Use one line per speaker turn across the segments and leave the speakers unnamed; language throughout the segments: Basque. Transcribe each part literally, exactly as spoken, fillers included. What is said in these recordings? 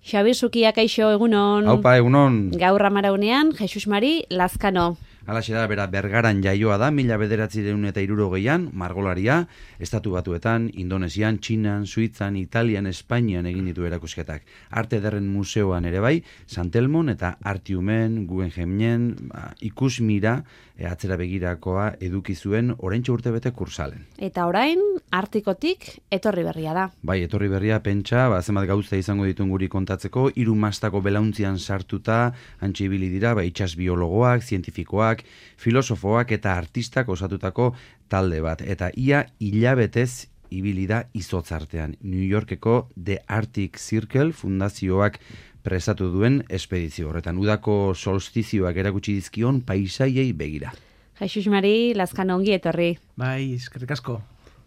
Xabi Sukia, kaixo, egunon.
Haupa, egunon.
Gaur amaraunean, Jesus Mari Lazkano.
Alaxe da, bera, Bergaran jaioa da, mila bederatzireun eta hirurogeian, margolaria, estatu batuetan, Indonesian, Txinan, Suitzan, Italian, Espainian egin ditu erakusketak. Arte Ederren Museoan ere bai, Santelmon eta Artiumen, Guggenheimnen, ba, ikusmira, e, atzera begirakoa eduki zuen oraintxe urtebete kursalen.
Eta orain, Artikotik etorri berria da.
Bai, etorri berria pentsa, ba, zenbat gauza izango ditun guri kontatzeko, hiru mastako belauntzian sartuta, antxe ibili dira, ba, itsas biologoak, zientifikoak, filosofoak eta artistak osatutako talde bat. Eta ia hilabetez ibili da izotz artean. New Yorkeko The Arctic Circle fundazioak presatu duen espedizio horretan. Udako solstizioak erakutsi dizkion paisaiei begira.
Jesus Mari Lazkano, ongi etorri.
Bai, eskerrik asko.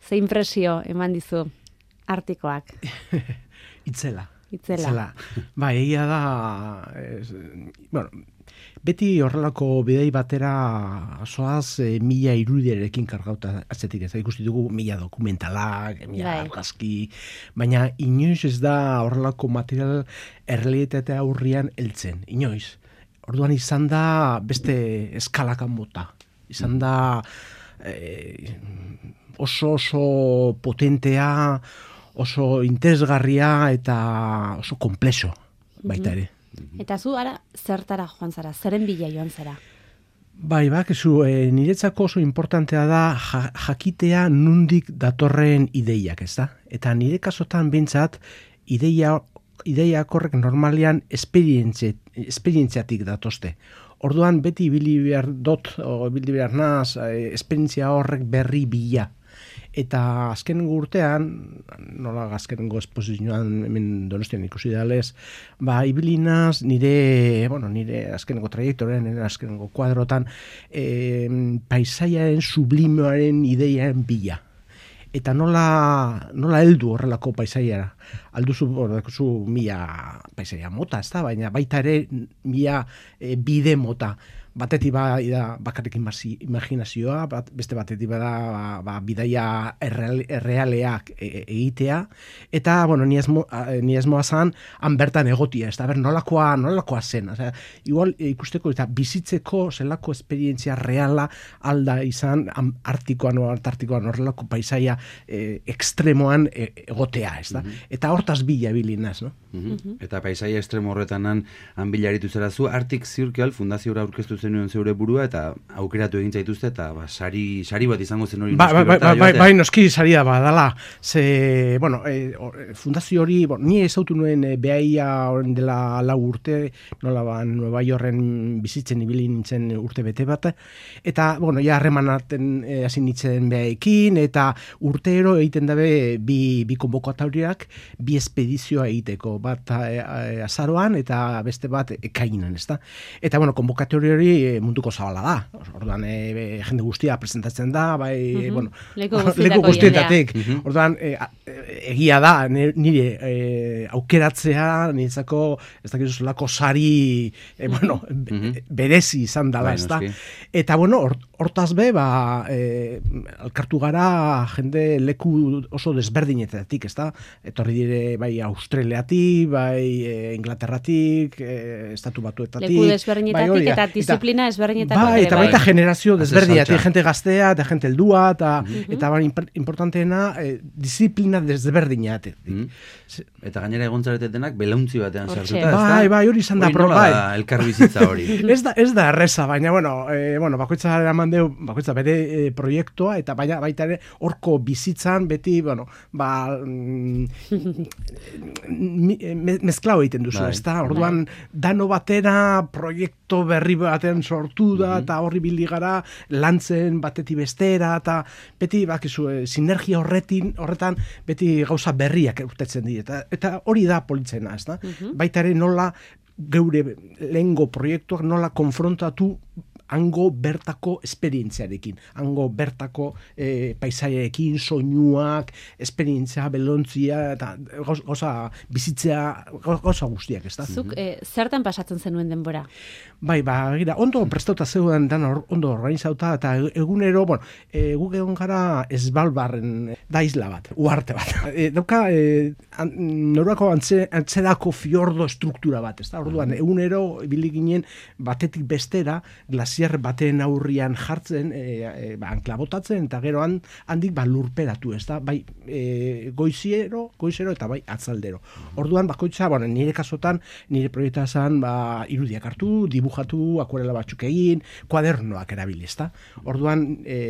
Ze impresio eman dizu Artikoak?
Itzela.
Itzela.
Itzela. Bai, egia da, es, bueno, beti horrelako bidei batera soaz e, mila irudiarekin kargauta atzetik ez. Ikusti dugu mila dokumentalak, mila argazki, baina inoiz ez da horrelako material errealitatea aurrian heltzen, inoiz. Orduan izan da beste eskalakan mota. Izan da e, oso oso potentea, oso interesgarria eta oso komplexo baita ere.
Eta zu, ara, zertara joan zara, zeren bila joan zara?
Bai, bak, zu, e, niretzako oso importantea da ja, jakitea nundik datorren ideiak, ez da? Eta nire kasotan bintzat, ideia, ideiak horrek normalean esperientziatik datozte. Orduan beti ibili behar dot, o ibili behar naz, e, esperientzia horrek berri bila. Eta azkenengo urtean, nola azkenengo esposizioan hemen Donostian ikusi dalez, ba, ibilinaz nire, bueno, nire azkenengo trajektorean, nire azkenengo kuadrotan, e, paisaiaren sublimearen ideiaren bila. Eta nola, nola heldu horrelako paisaiara. Alduzu, ordakuzu, mila paisaia mota, ez da, baina baita ere mila e, bide mota. Batetik ba, da bakarrik imaginazioa, bat, beste batetik bada ba, ba, bidaia erreal, errealeak e, egitea, eta, bueno, ni esmo, ni esmoa zan, han bertan egotia, ez da, ber, nolakoa, nolakoa zen. Osea, igual ikusteko eta bizitzeko zelako esperientzia reala alda izan artikoan o antartikoan horrelako paisaia e, ekstremoan e, egotea, ez da. Mm-hmm. Eta hortaz bila bilinaz, no?
Mm-hmm. Mm-hmm. Eta paisaia ekstremo horretan han bilaritu zera zu, Arctic Circle fundazioa aurkeztu zenuen zeure burua eta aukeratu egin zaituzte eta ba, sari, sari bat izango zen hori.
Ba, ba, ba, ba, ba, bai, noski saria badala. Ze, bueno, e, or, fundazio hori, bueno, ni ezautu nuen e, behaia horren dela lau urte, nola ba, Nueva Yorken bizitzen ibili nintzen urte bete bat, eta, bueno, ja harremanaten e, hasi nintzen behaekin, eta urteero egiten dabe bi, bi konbokatoriak, bi espedizioa egiteko, bat e, e, azaroan eta beste bat ekainan, ezta? Eta, bueno, konbokatori hori e, munduko zabala da. Orduan, e, jende guztia presentatzen da, bai, mm-hmm. bueno, leku guztietatik. Mm-hmm. Orduan, e, egia da, nire e, aukeratzea, niretzako, ez dakizu zelako sari, e, bueno, mm-hmm. berezi izan dela, ez da. Eta, bueno, hortaz be, ba, e, alkartu gara jende leku oso desberdinetatik, ez da. Etorri dire, bai, Australiatik, bai, e, Inglaterratik, e, Estatu Batuetatik.
Leku desberdinetatik bai, eta disiplina ezberdinetatik.
Bai, eta baita generazio desberdinetatik, gente gaztea, eta gente heldua, eta, mm-hmm. eta bai, importanteena, e, disiplina desberdinetatik. Mm-hmm.
Eta gainera egontzaretetenak belauntzi batean sartuta.
Bai, bai, hori izan da.
Hori nola da elkar bizitza hori.
ez, da, ez da erreza, baina, bueno, e, bueno bakoitza eraman deu, bakoitza bere e, proiektua, eta baina, baita ere, horko bizitzan, beti, bueno, ba, mm, me, mezklau egiten duzu, ez da? Orduan, dano batera, proiektu berri batean sortu da, mm-hmm. eta horri bildi gara, lantzen batetik bestera, eta beti, bakizu, e, sinergia horretin, horretan, beti gauza berriak urtetzen dira. Eta, eta hori da politzena, ez da? Mm-hmm. Baita ere nola geure lehengo proiektuak nola konfrontatu hango bertako esperientziarekin, hango bertako e, paisaiarekin, soinuak, esperientzia, belontzia, eta gauza bizitzea, gauza guztiak, ez da?
Zuk, e, zertan pasatzen zenuen denbora?
Bai, ba, gira, ondo prestauta zeuden dan or, ondo organizauta, eta egunero, bueno, e, guk egon gara Esbalbarren da isla bat, uarte bat. E, dauka, e, an, norako antze, antzerako fiordo struktura bat, ez da? Orduan, egunero, ibili ginen batetik bestera, glasier baten aurrian jartzen, e, e, ba, anklabotatzen, eta gero han, handik ba, lurperatu, ez da? Bai, e, goiziero, goizero, eta bai, atzaldero. Orduan, bakoitza, bueno, nire kasotan, nire proiekta zan, ba, irudiak hartu, dibujatu, akuarela batzuk egin, kuadernoak erabili, ezta? Orduan, e,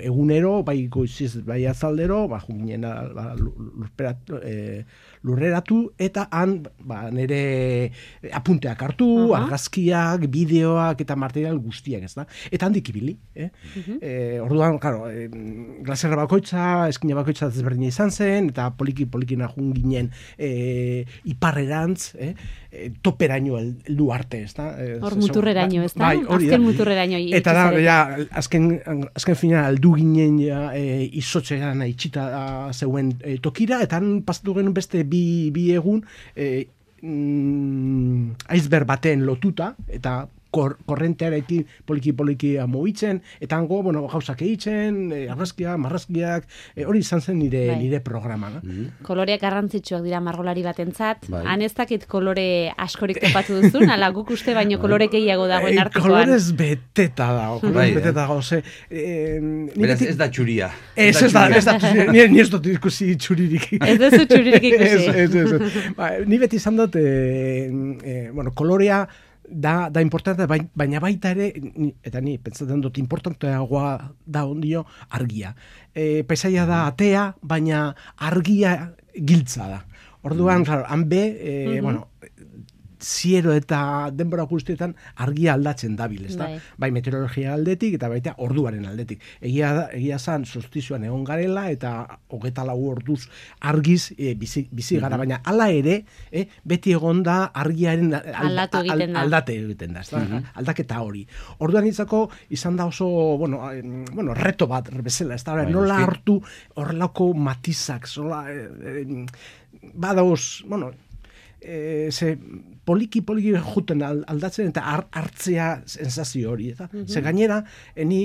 egunero, bai goiziz, bai atzaldero, ba, junginen ba, lurperatu, e, lurreratu, eta han, ba, nire apunteak hartu, uh-huh. argazkiak, bideoak, eta material guztiak, ezta? Eta handik ibili, eh? Uh-huh. E, orduan, claro, e, glaserra bakoitza, eskina bakoitza desberdina izan zen, eta poliki-polikina junginen e, iparrerantz, eh? E, toperaino heldu arte, ezta?
Hor muturreraino, ez da?
Bai, hori da.
Azken muturreraino.
Eta da, ja, azken, azken fina aldu ginen ja, e, izotxean itxita zeuen e, tokira, eta han pasatu genuen beste bi, bi egun e, mm, iceberg baten lotuta, eta kor, korrentearekin poliki-poliki mobitzen, eta hango, bueno, gauzak egiten, e, argazkiak, marrazkiak, e, hori izan zen nire,
bai.
nire programa. No?
Mm-hmm. Koloreak garrantzitsuak dira margolari batentzat.
Bai.
Han ez dakit kolore askorik topatu duzun, ala guk uste baino kolore gehiago dagoen artekoan.
Kolorez beteta dago, kolorez
Bai,
beteta
eh?
dago. Ze, eh,
Beraz, ez da txuria.
Ez, ez da, ez da, ni, ni ez dut ikusi txuririk.
Ez duzu txuririk ikusi.
Ez, ez, ez. Ba, ni beti izan dut, eh, eh, bueno, kolorea da, da importante, baina baita ere, eta ni pentsatzen dut importanteagoa da ondio argia. E, paisaia da atea, baina argia giltza da. Orduan, mm. claro, han be, e, mm-hmm. bueno, ziero eta denbora guztietan argia aldatzen dabil, ezta? Bai. bai meteorologia aldetik eta baita orduaren aldetik. Egia da, egia zan solstizioan egon garela eta hogeta lau orduz argiz e, bizi, bizi gara, mm-hmm. baina hala ere, e, beti egon da argiaren alda,
egiten da.
aldate egiten da, ezta?
Mm-hmm.
Aldaketa hori. Orduan itzako izan da oso, bueno, bueno reto bat bezala, ezta?
Bai,
nola
eski.
hartu horrelako matizak, zola, e, e, badauz, bueno, e, ze poliki-poliki juten aldatzen eta hartzea sensazio hori. Eta? Mm-hmm. Ze gainera, ni,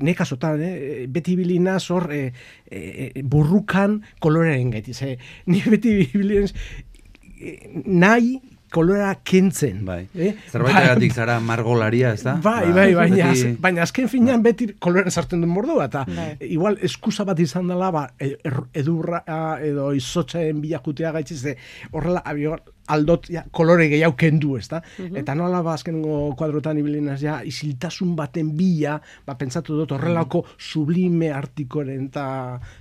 ne kasotan, eh, beti bilina zor eh, eh, burrukan kolorearen gaiti. Ze, ni beti bilina eh, nahi kolora kentzen.
Bai.
Eh?
Zerbaitegatik zara margolaria, ez da?
Bai, bai, baina, beti... baina azken finean beti kolorean sartzen duen mordua, eta
bai.
igual eskusa bat izan dela, ba, edurra edo izotzen bilakutea gaitziz, horrela, aldot ja, kolore gehiago kendu, ez da? Uh-huh. Eta nola ba, azkengo kuadrotan ibilinaz, ja, isiltasun baten bila, ba, pentsatu dut horrelako sublime artikoren eta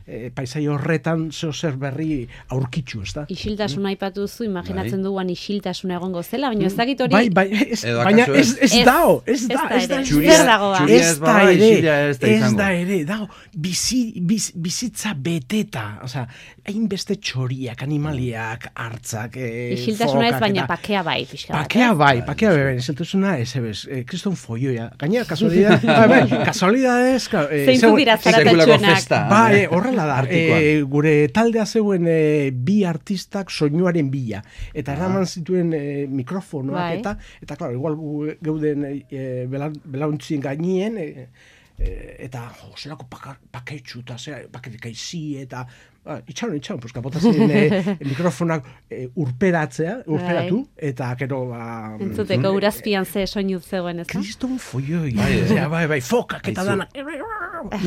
e, paisai horretan zeo zer berri aurkitzu, ez da?
Isiltasuna aipatu zu, imaginatzen bai. duan isiltasuna egongo zela, baina ez dakit hori...
Bai, bai, ez, baina ez, ez, ez dao, ez da, ez da,
ez da,
ez da ere, ez da ere, dago, bizi, biz, bizitza beteta, osea, hainbeste txoriak, animaliak, hartzak, e,
isiltasuna ez, baina pakea bai, pixka bat.
Pakea bai, pakea bai, isiltasuna ez, ez, kriston foioia. Gainera, kasualidad, bai, bai, kasualidadez...
Zeintu dira zaratatxuenak.
Bai, horrela da, e, gure taldea zeuen e, bi artistak soinuaren bila, eta eraman zituen e, mikrofonoak, bai. eta, eta, klaro, igual geuden e, belauntzien gainien, e, e, eta, jo, zelako paketxu, eta zera, paketik aizi, eta... Ah, itxaron, itxaron, pues kapotazien eh, mikrofonak eh, urperatzea, urperatu, bai. eta gero... Ba,
entzuteko mm, urazpian ze soinu zegoen, ez da?
Kriston foioi, bai, bai, bai, fokak eta danak,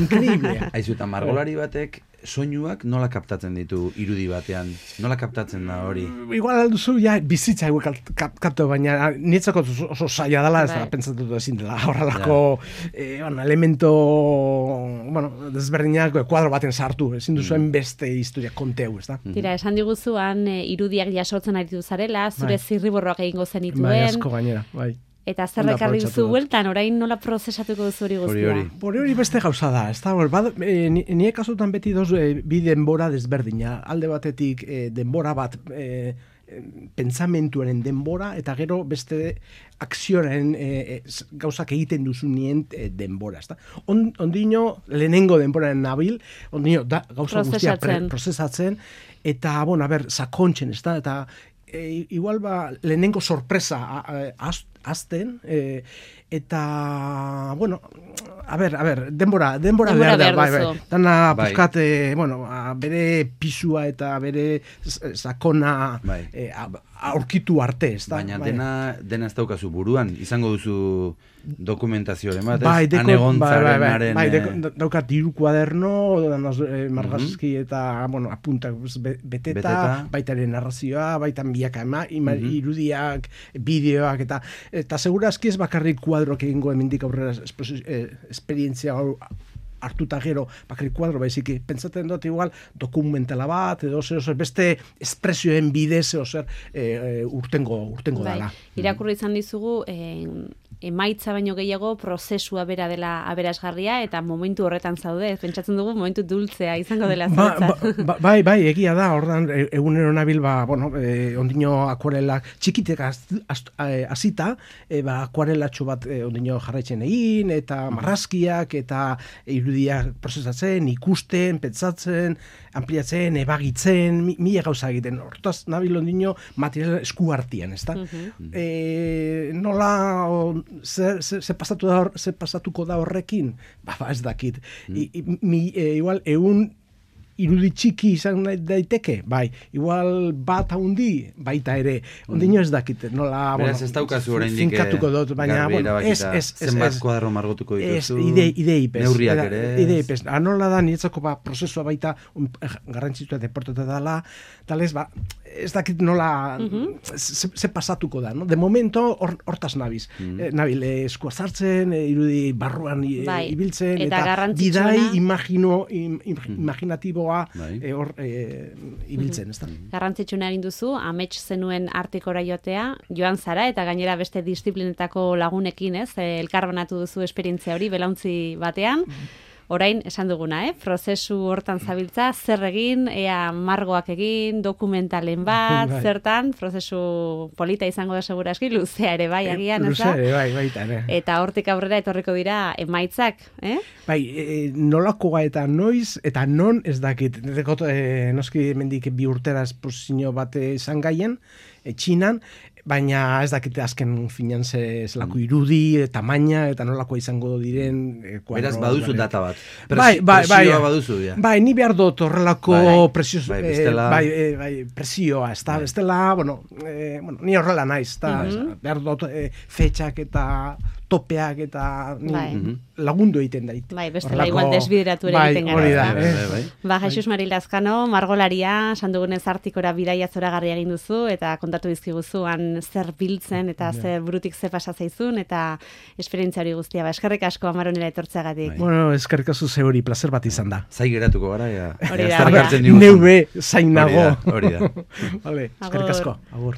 increíble.
Aizu, eta margolari batek soinuak nola kaptatzen ditu irudi batean? Nola kaptatzen da hori?
Igual alduzu, ja, bizitza egu kaptatu, baina nietzako oso zaila dela, ez da, pentsatu ezin dela, horrelako eh, bueno, elemento, bueno, desberdinak kuadro baten sartu, ezin duzuen beste historia konteu, ez da?
Tira, esan diguzuan, e, irudiak jasotzen aritu zarela, zure bai. zirriborroak egingo zenituen.
Bai, asko gainera, bai.
Eta zer ekarri duzu bueltan, orain nola prozesatuko duzu hori guztia?
Hori hori beste gauza da, ez da, e, nire kasutan beti doz e, bi denbora desberdina. Alde batetik e, denbora bat e, pentsamentuaren denbora, eta gero beste akzioaren e, e, gauzak egiten duzunien e, denbora. Ezta? On, ondino, lehenengo denboraren nabil, ondino, da, gauza guztia pre, prozesatzen, eta, bueno, a ber, sakontzen, ez da, eta e, igual ba, lehenengo sorpresa azten, e, eta, bueno, a ber, a ber, denbora, denbora, denbora behar da, bai, bai. Dana,
bai.
Puskat, e, bueno, a, bere pisua eta bere sakona
bai.
e, aurkitu arte, ez da?
Baina
bai.
dena, dena ez daukazu buruan, izango duzu dokumentazioaren bat, ez?
Bai, deko,
Anegontzaren
bai, bai,
haren...
bai, deko, daukat diru kuaderno, eh, margazki mm -hmm. eta, bueno, apuntak beteta, beteta. Baitaren narrazioa, baitan biaka ema, ima, mm -hmm. irudiak, bideoak, eta eta segurazki ez bakarrik kuadroak egingo hemendik aurrera eh, esperientzia hau hartuta gero bakarrik kuadro, baizik, pentsatzen dut igual dokumentala bat, edo zer, zer beste espresioen bidez, edo zer e, urtengo, urtengo
bai.
dala.
Irakurri izan dizugu, eh, emaitza baino gehiago prozesua bera dela aberasgarria, eta momentu horretan zaude, pentsatzen dugu momentu dultzea izango dela
ba, ba, ba, bai, bai, egia da, ordan egunero nabil, ba, bueno, e, ondino akuarelak txikitek hasita, e, ba, akuarelatxo bat e, ondino jarraitzen egin, eta marrazkiak, eta irudiak prozesatzen, ikusten, pentsatzen, ampliatzen, ebagitzen, mi, mila gauza egiten. Hortaz, nabil ondino material esku hartian, ez da? Uh-huh. E, nola, o, ze, ze, ze, pasatu da, ze pasatuko da horrekin? Ba, ba ez dakit. Uh-huh. I, i, mi, e, igual, egun irudi txiki izan daiteke, bai, igual bat haundi, baita ere, ondino ez dakit, nola,
beraz, ez daukazu oraindik
finkatuko dut, baina, bueno, ez, ez, ez,
zenbat kuadro margotuko dituzu,
ide, ideipez,
neurriak ere,
ideipez, anola da, niretzako, ba, prozesua baita, um, garrantzitua deportata dala, talez, ba, ez dakit nola, uh-huh. ze, ze pasatuko da, no? De momento, hortaz or, nabiz, uh-huh. eh, nabil, eh, eskua zartzen, eh, irudi barruan eh, bai. ibiltzen,
eta,
eta bidai imagino, im, im, uh-huh. imaginatibo bai. e, or, e, ibiltzen, ez da?
Garrantzitsuna egin duzu, amets zenuen artikora joatea, joan zara, eta gainera beste disiplinetako lagunekin, ez, elkarbanatu duzu esperientzia hori, belauntzi batean, orain, esan duguna, eh? Prozesu hortan zabiltza, zer egin, ea margoak egin, dokumentalen bat, bai. Zertan, prozesu polita izango da seguraski, luzea ere bai, agian, ez da?
Luzea ere bai, baita ere.
Eta hortik aurrera etorriko dira emaitzak, eh?
Bai, e, nolakoa eta noiz, eta non ez dakit. Dekot, e, noski mendik bi urtera esposizio bat izan gaien, e, Txinan, baina ez dakite azken finan ze zelako irudi, e, tamaina, eta nolakoa izango diren... E,
beraz, baduzu bale. Data bat. Presi,
bai, bai,
presioa
bai,
baduzu, ja.
Bai, ni behar dut horrelako
bai,
presio,
bai, bestela...
bai, e, bai, presioa, ez da, bai. Bestela, bueno, e, bueno, ni horrela naiz, eta mm-hmm. behar dut e, fetxak eta topeak eta bai. Lagundu egiten dait.
Bai, bestela igual desbideratu ere
bai,
egiten gara.
Bai, bai,
bai.
Ba, Jesus Mari Lazkano, margolaria, sandugunez artikora bidaia zoragarria egin duzu, eta kontatu dizkiguzuan zer biltzen, eta ja. Zer burutik ze pasa zaizun, eta esperientzia hori guztia. Ba, eskerrik asko Amaronela etortzeagatik.
Bai. Bueno, eskerrik asko ze hori, placer bat izan da.
Zai geratuko gara, ja.
Hori da,
Neube zainago.
Hori da, hori da.
Vale, eskerrik asko. Agur.